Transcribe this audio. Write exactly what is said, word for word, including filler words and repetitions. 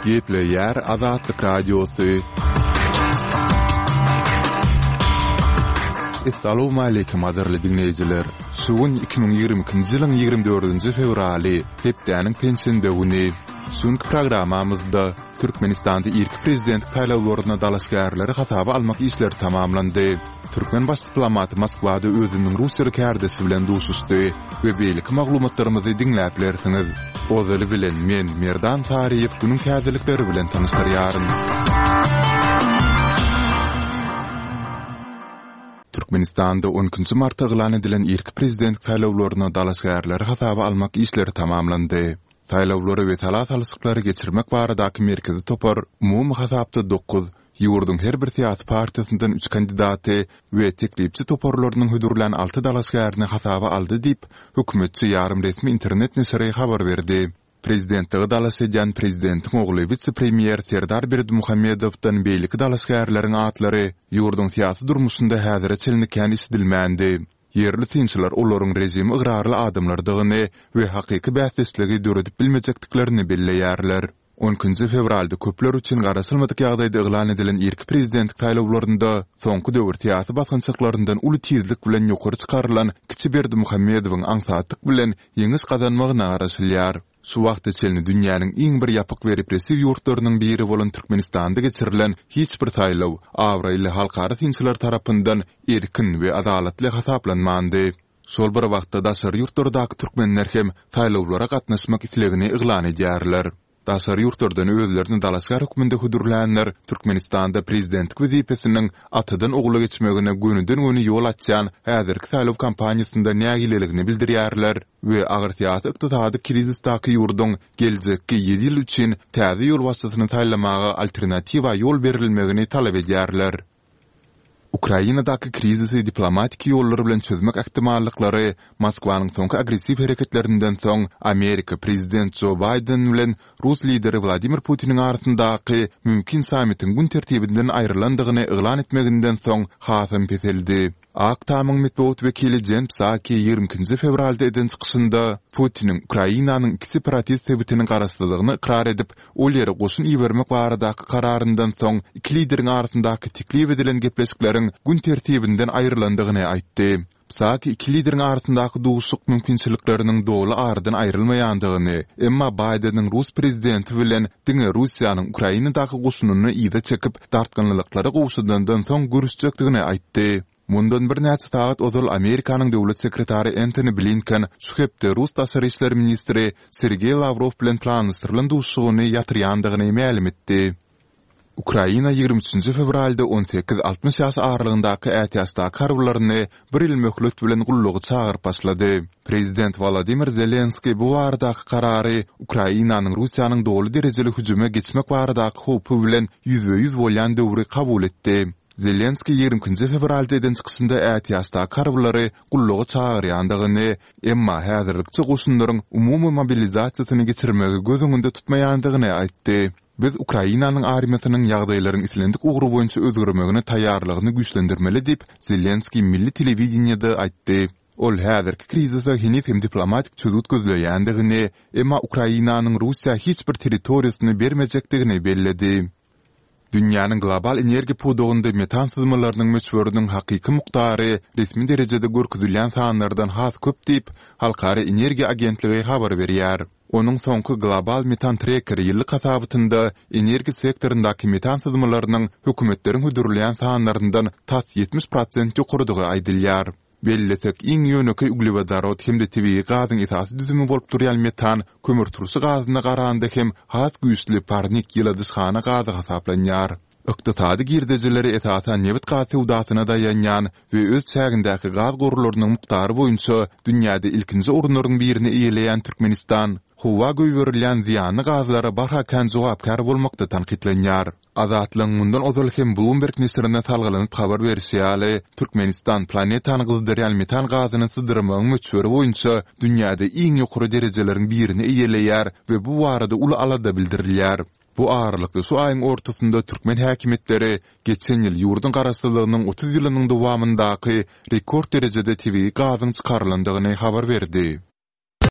Gepleýär Azatlyk Radiosy. Essalawmaleýkim gadyrly diňleýjiler! Şu gün iki müň ýigrimi ikinji ýylyň ýigrimi dördünji fewraly, hepdäniň penşenbe güni. Şu günki programmamyzda Türkmenistanda irki prezidentlik saýlawlaryna dalaşgärleri hasaba almak işleri tamamlandy. Türkmen baş diplomaty Moskwada özüniň russiýaly kärdeşi bilen duşuşdy we beýleki maglumatlarymyzy diňläp bilersiňiz. Ozaly bilen men, Merdan Saryýew günüň täzelikleri bilen tanyşdyrýaryn. Türkmenistanda on ikinji martda yglan edilen irki prezidentlik saýlawlaryna dalaşgärleri hasaba almak işleri tamamlandy. Saýlawlary we sala salyşyklary geçirmek baradaky merkezi topar umumy hasapda dokuz, ýurduň her bir syýasy partiýasyndan üç kandidaty we teklipçi toparlarynyň hödürlän alty dalaşgärini hasaba aldy diýip, hökümetçi ýarym resmi internet neşiri habar berdi. Prezidentlige dalaş edýän prezidentiň ogly wise-premýer Serdar Berdimuhamedowdan beýleki dalaşgärleriň atlary ýurduň syýasy durmuşynda häzire çenli kän eşidilmändi. Ýerli synçylar olaryň režime ygrarly adamlardygyny we hakyky bäsdeşligi döredip bilmejekdiklerini belleýärler. On ikinji fewralda köpler üçin garaşylmadyk ýagdaýda yglan edilen irki prezidentlik saýlawlarynda soňky döwür syýasy basgançaklaryndan uly tizlik bilen ýokary çykarylan kiçi Berdimuhamedowyň aňsatlyk bilen ýeňiş gazanmagyna garaşylýar. Şu wagta çenli dünýäniň iň bir ýapyk we repressiw ýurtlarynyň biri bolan Türkmenistanda geçirilen hiç bir saýlaw abraýly halkara synçylar tarapyndan erkin we adalatly hasaplanmandy. Şol bir wagtda daşary ýurtlardaky türkmenler hem saýlawlara gatnaşmak islegini yglan edýärler. Daşary ýurtlardan özlerini dalaşgär hökmünde hödürlänler Türkmenistanda prezidentlik wezipesiniň atadan ogula geçmegine gönüden-göni ýol açýan häzirki saýlaw kampaniýasynda nägileligini bildirýärler we agyr syýasy-ykdysady krizisdaky ýurduň geljekki ýedi ýyl üçin täze ýolbaşçysyny saýlamaga alternatiwa ýol berilmegini talap edýärler. Ukrainadaky krizisi diplomatiki ýollar bilen çözmek ähtimallyklary Moskwanyň soňky agressiw hereketlerinden soň Amerika prezident Jo Baýden bilen rus lideri Wladimir Putiniň arasyndaky mümkin sammitiň gün tertibinden aýrylandygyny yglan etmeginden soň hasam peseldi. Ak Tamyň metbugat wekili Jen Psaki ýigrimi ikinji fewralda eden çykyşynda Putiniň Ukrainanyň iki separatist sebitiniň garaşsyzlygyny ykrar edip, ol ýere goşun ibermek baradaky kararyndan soň iki lideriň arasyndaky teklip edilen gepleşikleriň gün tertibinden aýrylandygyny aýtdy. Psaki iki lideriň arasyndaky duşuşyk mümkinçilikleriniň doly aradan aýrylmaýandygyny, emma Baýdeniň rus prezidenti bilen diňe Russiýanyň Ukrainadaky goşunyny yza çekip, dartgynlylyklary gowşadandan soň görüşjekdigini aýtdy. Mundan birnäçe sagat ozal Amerikanyň döwlet sekretary Entoni Blinken şu hepde rus daşary işler ministri Sergeý Lawrow bilen planlaşdyrylan duşuşygyny ýatyrýandygyny mälim etdi. Ukraina ýigrimi üçünji fewralda on sekiz, altmyş ýaş aralygyndaky ätiýaçdaky harbylaryny bir ýyl möhlet bilen gulluga çagyryp başlady. Prezident Wolodymyr Zelenskiý bu baradaky karary Ukrainanyň Russiýanyň doly derejeli hüjüme geçmek baradaky howpy bilen ýüzbe-ýüz bolýan döwri kabul etdi. Zelenskiý ýigrimi ikinji fewralda eden çykyşynda ätiýaçdaky harbylary gulluga çagyrýandygyny, emma häzirlikçe goşunlaryň umumy mobilizasiýasyny geçirmegi göz öňünde tutmaýandygyny aýtdy. Biz Ukrainanyň armiýasynyň ýagdaýlaryň islendik ugry boýunça özgermegine taýýarlygyny güýçlendirmeli diýip, Zelenskiý milli telewideniýede aýtdy. Ol häzirki krizise heniz hem diplomatik çözgüt gözleýändigini, emma Ukrainanyň Russiýa hiç bir territoriýasyny bermejekdigini belledi. Dünýäniň global energiýa pudagynda metan syzmalarynyň möçberiniň hakyky mukdary resmi derejede görkezilýän sanlardan has köp diýip, Halkara energiýa agentligi habar berýär. Onuň soňky Global Metan Tracker ýyllyk hasabatynda energiýa sektoryndaky metan syzmalarynyň hökümetleriň hödürleýän sanlaryndan tas ýetmiş prosent ýokarydygy aýdylýar. Bellesek, iň ýönekeý uglewodorod hem-de tebigy gazyň esasy düzümi bolup durýan metan kömürturşy gazyna garanda hem has güýçli parnik ýyladyşhana gazy hasaplanýar. Ykdysady girdejileri esasan nebit-gaz söwdasyna daýanýan we öz çägindäki gaz gorlarynyň mukdary boýunça dünýäde ilkinji orunlaryň birini eýeleýän Türkmenistan howa goýberilýän zyýanly gazlara barha kän jogapkär bolmakda tankytlanýar. Azatlygyň mundan ozal hem Bloomberg neşirine salgylanyp habar berşi ýaly, Türkmenistan planetany gyzdyrýan metan gazyny syzdyrmagyň möçberi boýunça dünýäde iň ýokary derejeleriň birini eýeleýär we bu barada uly alada bildirilýär. Bu aralykda, şu aýyň ortasynda türkmen häkimiýetleri geçen ýyl ýurduň garaşsyzlygynyň otuz ýylynyň dowamyndaky rekord derejede tebigy gazyň çykarylandygyny habar berdi.